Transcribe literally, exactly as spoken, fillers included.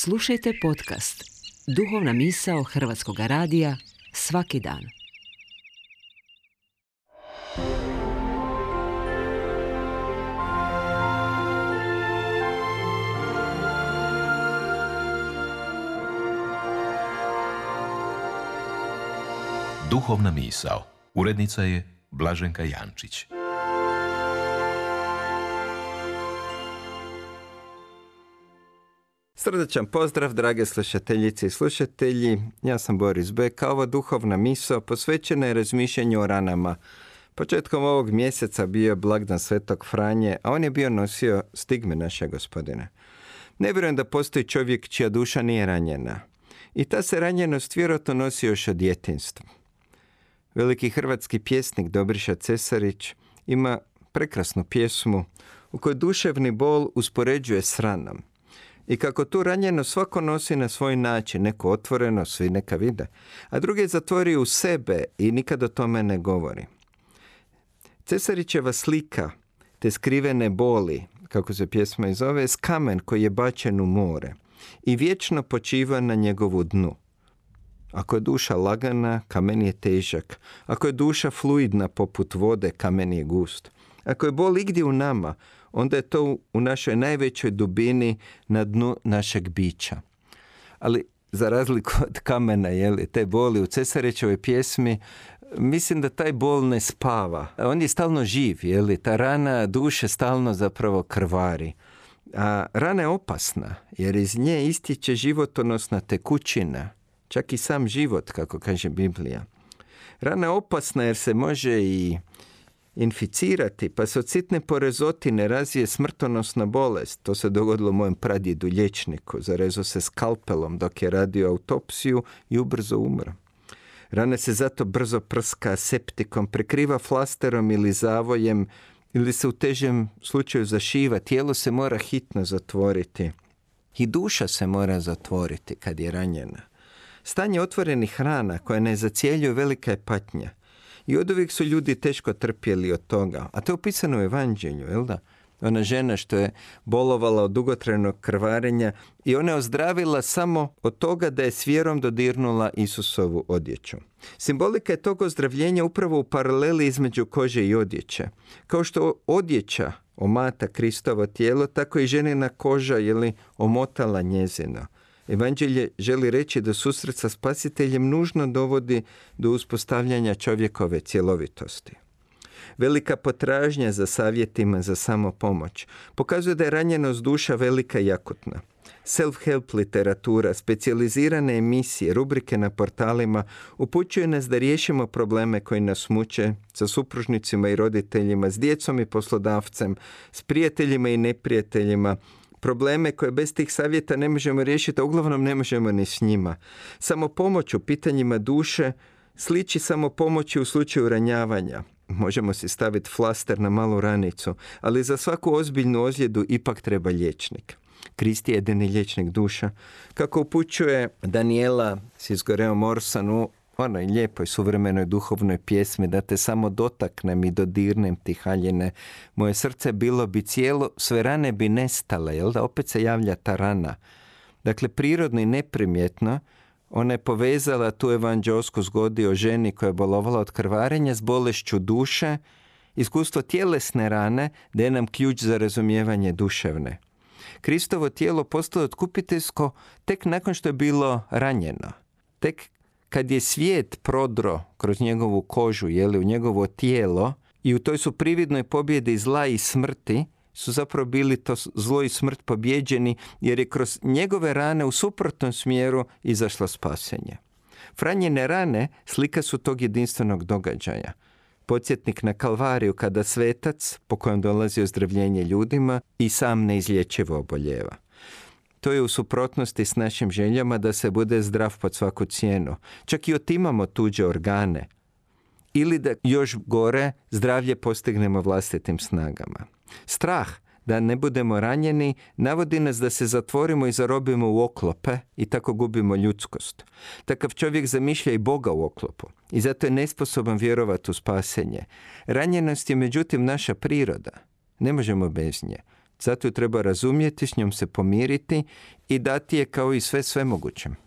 Slušajte podcast Duhovna misao Hrvatskog radija svaki dan. Duhovna misao. Urednica je Blaženka Jančić. Srdačan pozdrav, drage slušateljice i slušatelji. Ja sam Boris Beka. Ova duhovna misao posvećena je razmišljanju o ranama. Početkom ovog mjeseca bio je blagdan Svetog Franje, a on je bio nosio stigme naše Gospodine. Ne vjerujem da postoji čovjek čija duša nije ranjena. I ta se ranjenost vjerojatno nosi još od djetinjstva. Veliki hrvatski pjesnik Dobriša Cesarić ima prekrasnu pjesmu u kojoj duševni bol uspoređuje s ranom. I kako tu ranjeno svako nosi na svoj način, neko otvoreno, svi neka vide, a drugi zatvori u sebe i nikad o tome ne govori. Cesarićeva slika te skrivene boli, kako se pjesma i zove, je kamen koji je bačen u more i vječno počiva na njegovu dnu. Ako je duša lagana, kamen je težak. Ako je duša fluidna poput vode, kamen je gust. Ako je bol igdje u nama, onda je to u našoj najvećoj dubini na dnu našeg bića. Ali za razliku od kamena, jeli, te boli u Cesarićevoj pjesmi, mislim da taj bol ne spava. On je stalno živ, jeli, ta rana duše stalno zapravo krvari. A rana je opasna, jer iz nje istječe životonosna tekućina, čak i sam život, kako kaže Biblija. Rana je opasna jer se može i inficirati, pa se od sitne porezotine razvije smrtonosna bolest. To se dogodilo mojem pradjedu liječniku. Zarezao se skalpelom dok je radio autopsiju i ubrzo umro. Rana se zato brzo prska septikom, prekriva flasterom ili zavojem, ili se u težem slučaju zašiva. Tijelo se mora hitno zatvoriti. I duša se mora zatvoriti kad je ranjena. Stanje otvorenih rana koje ne zacjeljuju velika je patnja. I oduvijek su ljudi teško trpjeli od toga. A to je upisano u Evanđelju, jel da? Ona žena što je bolovala od dugotrajnog krvarenja i ona je ozdravila samo od toga da je s vjerom dodirnula Isusovu odjeću. Simbolika je tog ozdravljenja upravo u paraleli između kože i odjeće. Kao što odjeća omata Kristovo tijelo, tako i ženina koža je omotala njezino. Evanđelje želi reći da susret sa Spasiteljem nužno dovodi do uspostavljanja čovjekove cjelovitosti. Velika potražnja za savjetima za samopomoć pokazuje da je ranjenost duša velika i akutna. Self-help literatura, specijalizirane emisije, rubrike na portalima upućuju nas da riješimo probleme koji nas muče sa supružnicima i roditeljima, s djecom i poslodavcem, s prijateljima i neprijateljima, probleme koje bez tih savjeta ne možemo riješiti, a uglavnom ne možemo ni s njima. Samo pomoć u pitanjima duše sliči samo pomoći u slučaju ranjavanja. Možemo si staviti flaster na malu ranicu, ali za svaku ozbiljnu ozljedu ipak treba liječnik. Krist je jedini liječnik duša. Kako upućuje Daniela s izgoreom Orsan u onoj lijepoj suvremenoj duhovnoj pjesmi da te samo dotaknem i dodirnem ti haljine, moje srce bilo bi cijelo, sve rane bi nestale, jel da? Opet se javlja ta rana. Dakle, prirodno i neprimjetno, ona je povezala tu evanđeosku zgodu o ženi koja je bolovala od krvarenja s bolešću duše, iskustvo tjelesne rane daje nam ključ za razumijevanje duševne. Kristovo tijelo postalo otkupiteljsko tek nakon što je bilo ranjeno. Tek kad je svijet prodro kroz njegovu kožu, jeli, u njegovo tijelo, i u toj su prividnoj pobjedi zla i smrti, su zapravo bili to zlo i smrt pobjeđeni, jer je kroz njegove rane u suprotnom smjeru izašlo spasenje. Franjine rane slika su tog jedinstvenog događaja. Podsjetnik na Kalvariju kada svetac, po kojem dolazi ozdravljenje ljudima, i sam neizlječivo oboljeva. To je u suprotnosti s našim željama da se bude zdrav pod svaku cijenu. Čak i otimamo tuđe organe. Ili da još gore zdravlje postignemo vlastitim snagama. Strah da ne budemo ranjeni navodi nas da se zatvorimo i zarobimo u oklope i tako gubimo ljudskost. Takav čovjek zamišlja i Boga u oklopu i zato je nesposoban vjerovati u spasenje. Ranjenost je međutim naša priroda. Ne možemo bez nje. Zato ju treba razumjeti, s njom se pomiriti i dati je kao i sve svemogućem.